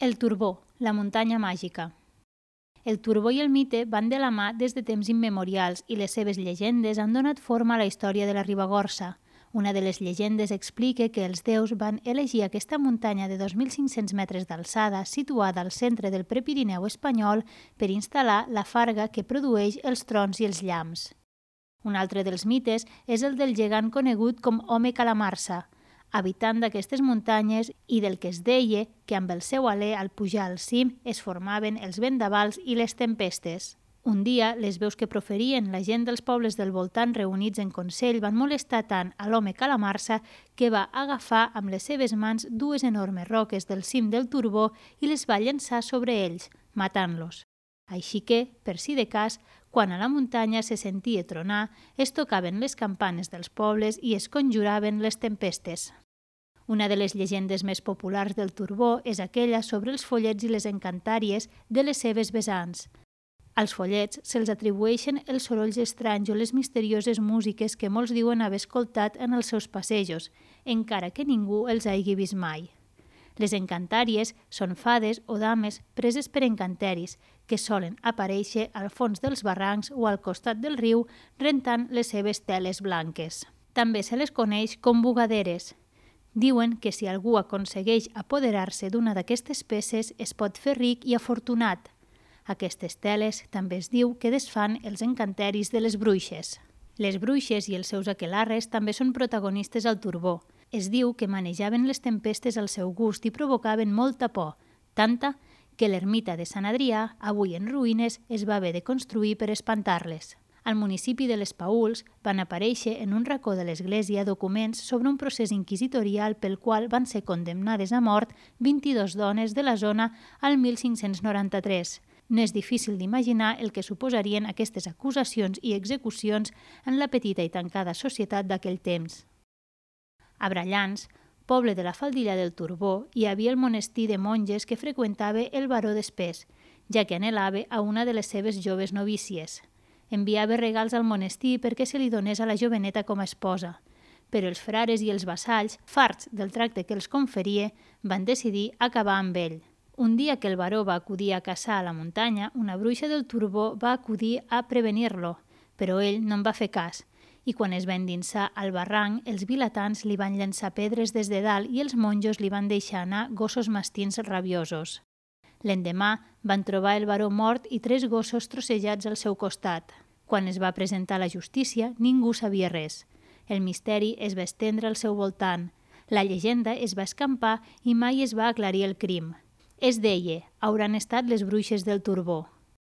El Turbó, la muntanya màgica. El Turbó i el mite van de la mà des de temps immemorials i les seves llegendes han donat forma a la història de la Ribagorça. Una de les llegendes explica que els déus van elegir aquesta muntanya de 2.500 metres d'alçada situada al centre del Prepirineu espanyol per instal·lar la farga que produeix els trons i els llamps. Un altre dels mites és el del gegant conegut com Home Calamarsa, habitant d'aquestes muntanyes i del que es deia que amb el seu alè al pujar al cim es formaven els vendavals i les tempestes. Un dia, les veus que proferien la gent dels pobles del voltant reunits en consell van molestar tant a l'home Calamarsa que va agafar amb les seves mans dues enormes roques del cim del Turbó i les va llançar sobre ells, matant-los. Així que, per si de cas, quan a la muntanya se sentia tronar, es tocaven les campanes dels pobles i es conjuraven les tempestes. Una de les llegendes més populars del Turbó és aquella sobre els follets i les encantàries de les seves vessants. Als follets se'ls atribueixen els sorolls estranys o les misterioses músiques que molts diuen haver escoltat en els seus passejos, encara que ningú els hagi vist mai. Les encantàries són fades o dames preses per encanteris, que solen aparèixer al fons dels barrancs o al costat del riu rentant les seves teles blanques. També se les coneix com bugaderes. Diuen que si algú aconsegueix apoderar-se d'una d'aquestes peces es pot fer ric i afortunat. Aquestes teles també es diu que desfan els encanteris de les bruixes. Les bruixes i els seus aquelarres també són protagonistes al Turbó. Es diu que manejaven les tempestes al seu gust i provocaven molta por, tanta que l'ermita de Sant Adrià, avui en ruïnes, es va haver de construir per espantar-les. Al municipi de les Paüls van aparèixer en un racó de l'església documents sobre un procés inquisitorial pel qual van ser condemnades a mort 22 dones de la zona al 1593. No és difícil d'imaginar el que suposarien aquestes acusacions i execucions en la petita i tancada societat d'aquell temps. A Brallans, poble de la faldilla del Turbó, hi havia el monestir de monges que freqüentava el baró d'Espés, ja que anhelava a una de les seves joves novícies. Enviava regals al monestir perquè se li donés a la joveneta com a esposa, però els frares i els vassalls, farts del tracte que els conferia, van decidir acabar amb ell. Un dia que el baró va acudir a caçar a la muntanya, una bruixa del Turbó va acudir a prevenir-lo, però ell no en va fer cas, i quan es va endinsar al barranc, els vilatans li van llançar pedres des de dalt i els monjos li van deixar anar gossos mastins rabiosos. L'endemà van trobar el baró mort i 3 gossos trossejats al seu costat. Quan es va presentar a la justícia, ningú sabia res. El misteri es va estendre al seu voltant. La llegenda es va escampar i mai es va aclarir el crim. Es deia, hauran estat les bruixes del Turbó.